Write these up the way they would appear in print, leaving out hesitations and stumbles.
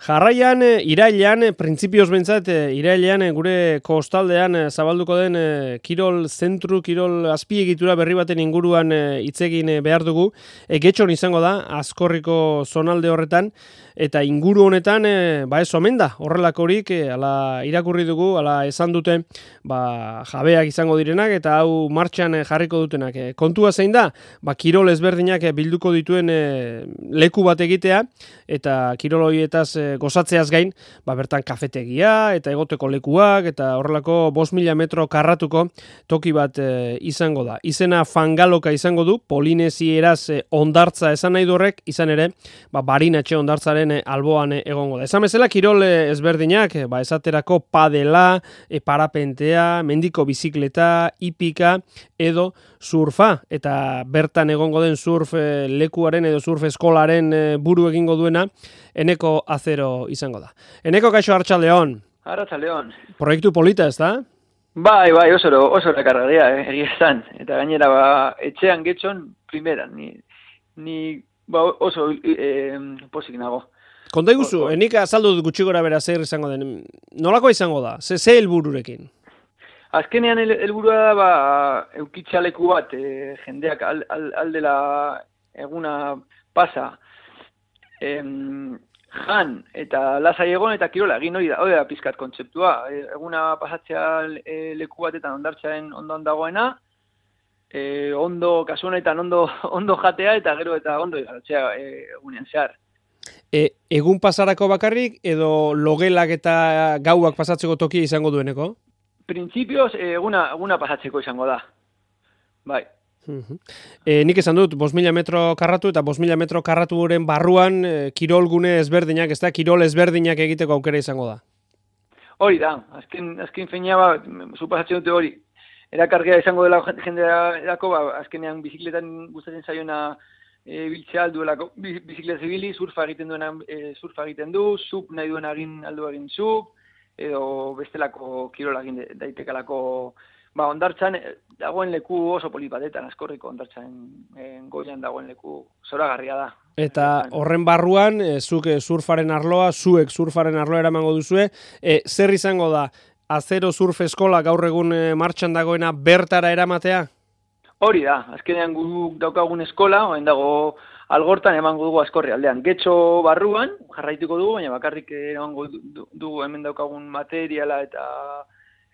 Jarraian, irailean, printzipioz bentzat, irailean gure kostaldean zabalduko den kirol zentru, kirol azpiegitura berri baten inguruan hitz egin behar dugu. Getxon izango da, Azkorriko zonalde horretan, eta inguru honetan, ez omen da, horrelakorik, ala irakurri dugu, ala esan dute, jabeak izango direnak, eta hau martxan jarriko dutenak. Kontua zein da, kirol ezberdinak bilduko dituen leku bat egitea, eta kirol horietaz gozatzeaz gain, bertan kafetegia eta egoteko lekuak eta horrelako 5.000 metro karratuko toki bat izango da. Izena Fangaloka izango du, polinesieraz ondartza esan nahi du horrek, izan ere, barinatxe ondartzaren alboan egongo da. Esan bezala, kirol ezberdinak, esaterako padela, parapentea, mendiko bizikleta, hipika edo surfa, eta bertan egongo den surf lekuaren edo surf eskolaren buru egingo duena, Eneko Azero izango da. Eneko, kaixo, Arratsaldeon. Arratsaldeon. Proiektu polita, ez da? Bai, oso rekargaria, egia esan. Eta gainera, etxean Getxon, primeran. Ni oso pozik nago. Konta iguzu, enik azaldu dut gutxi gora bera zer izango den. Nolako izango da? Ze helbururekin? Azkenean helburua da, eukitxaleku bat, jendeak aldela eguna pasa, jan eta lasai egon eta kirola egin hori da pizkat kontzeptua. Eguna pasatzea leku batetan ondartzaren ondoan dagoena, kasu honetan ondo jatea eta gero eta ondo igarotzea egunean zehar. Egun pasarako bakarrik edo logelak eta gauak pasatzeko tokia izango dueneko? Printzipioz eguna pasatzeko izango da. Bai. Nik esan dut, 5.000 metro karratu eta 5.000 metro karraturen barruan kirolgune ezberdinak, ez da, kirol ezberdinak egiteko aukera izango da. Hori da, azken feina supasatzen dute hori. Erakargea izango dela jendeako, azkenean bizikletan gustatzen zaiona biltzea alduelako, bizikleta zibili, surfa egiten duena surfa egiten du, sup nahi duena egin sup, edo bestelako kirola egin daitekalako. Ondartzan dagoen leku oso polit batetan, Azkorriko ondartzan goian dagoen leku zoragarria da. Eta horren barruan, zuek surfaren arloa eramango duzue, zer izango da, Azero Surf Eskola gaur egun martxan dagoena bertara eramatea? Hori da, azkenean guk daukagun eskola, oen dago Algortan emango dugu Azkorri aldean. Getxo barruan, jarraituko dugu, baina bakarrik emango dugu hemen daukagun materiala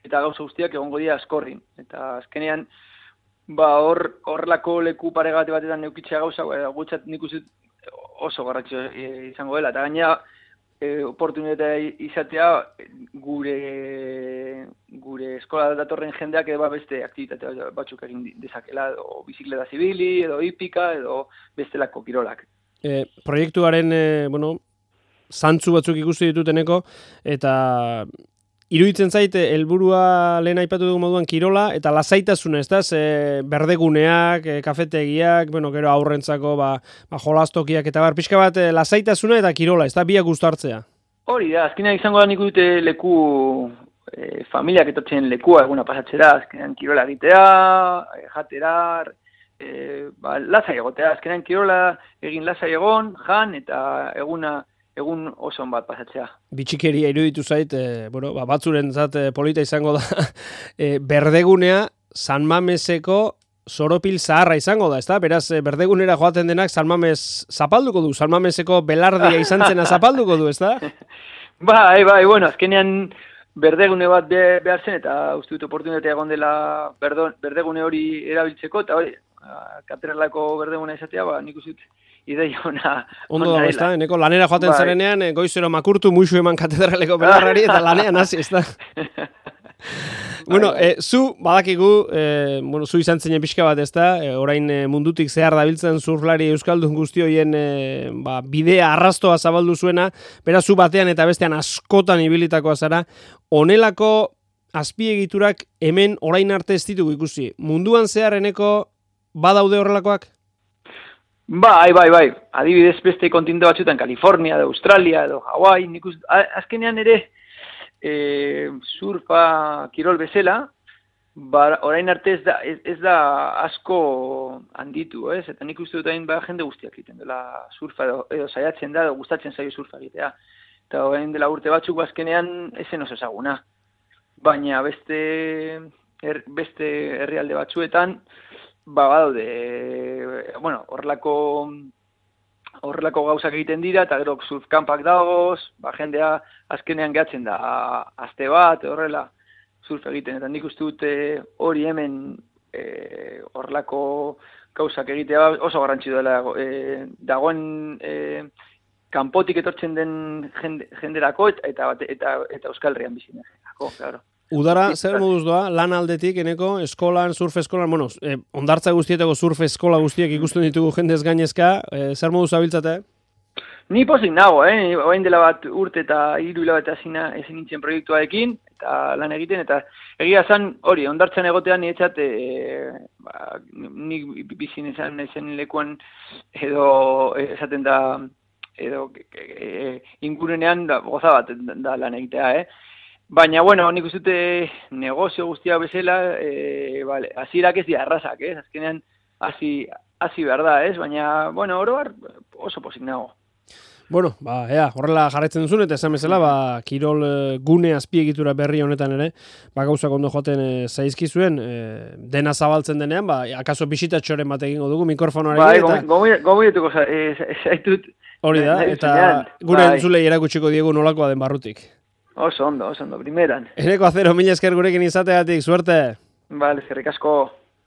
eta gauza guztiak egongo dira Azkorrin. Eta azkenean, horrelako leku paregate batetan neukitzea gauza, gutzat nik uste oso garratxo izango dela. Eta gaina, oportunitatea izatea gure eskola datorren jendeak beste aktibitate batzuk egin dezakela, edo bizikleta zibili, edo hipika, edo bestelako kirolak. Proiektuaren, zantzu batzuk ikusi dituteneko, eta iruditzen zaite, helburua lehen aipatu dugu moduan kirola, eta lasaitasuna, ez da, berdeguneak, kafetegiak, gero aurrentzako jolastokiak, eta pixka bat lasaitasuna eta kirola, ez da, biak uztartzea. Hori da, azkenean izango da nik dute leku, familiak etortzen lekua eguna pasatzera, azkenean kirola egitea, jatera, lasai egotea, azkenean kirola egin lasai egon, jan, eta egun oso bat pasatzea. Bitxikeria iruditu zait, batzurentzat polita izango da, berdegunea San Mameseko Soropil zaharra izango da, ezta? Beraz, berdegunera joaten denak San Mames zapalduko du, San Mameseko belardia izan zena zapalduko du, ezta? Bai, azkenean berdegune bat behar zen, eta uste dut oportunitatea egon dela berdegune hori erabiltzeko, eta hori, katedralako berdeguna izatea, nik uste dut ideia ona. Ondo da, ez da, eneko lanera joaten zarenean, goizero makurtu, muixu eman katedraleko belarrari, eta lanean hasi, ez da. Zu, badakigu, zu izan zinen pixka bat, ez da, orain mundutik zehar dabiltzen surflari euskaldun guztioien bidea arrastoa zabaldu zuena, beraz zu batean eta bestean askotan ibilitakoa zara, honelako azpiegiturak hemen orain arte ez ditugu ikusi. Munduan zehar eneko badaude horrelakoak? Bai. Adibidez beste kontinente batzuetan, Kalifornia, edo Australia, edo Hawaii, azkenean ere surfa kirol bezala, orain arte ez da asko handitu, ez? Eta nik uste dut hain jende guztiak egiten dela surfa, edo saiatzen da, edo gustatzen zaio surfa egitea. eta orain dela urte batzuk azkenean ezen oso ezaguna. Baina beste herrialde batzuetan, badaude, horrelako gauzak egiten dira, eta gero surfkampak dagoz, jendea azkenean gehatzen da, aste bat, horrela surf egiten, eta nik uste dute hori hemen horrelako gauzak egitea oso garrantzi dela, dagoen kanpotik etortzen den jenderako, eta Euskal Herrian bizinerako, claro. Udara, zer moduz doa, lan aldetik, eneko, eskolan, surf eskolan, ondartza guztietako surf eskola guztiek ikusten ditugu jendez gainezka, zer moduz abiltzate? Ni pozik nago, orain dela bat urte eta 3 hilabete ezin nintzen proiektuarekin, eta lan egiten, eta egia zan hori, ondartzan egotean niretzat, nik bizin ezen lekuan edo esaten da, edo ingurunean goza bat da lan egitea, Baina, nik uste dute negozio guztia bezala, hasierak ez dira errazak, azkenean hasi behar da, Baina, oroar oso pozik nago. Horrela jarraitzen duzun, eta esan bezala, kirol gune azpiegitura berri honetan ere, gauzak ondo joaten zaizkizuen, dena zabaltzen denean, akaso bisitatxoren bat egingo dugu, mikrofonoarekin. Gomietuko zaitut. Hori da, eta gure entzulei erakutsiko diegu nolakoa den barrutik. Oso ondo, primeran. Eneko Acero, mila esker gurekin izateatik, suerte! Eskerrik asko.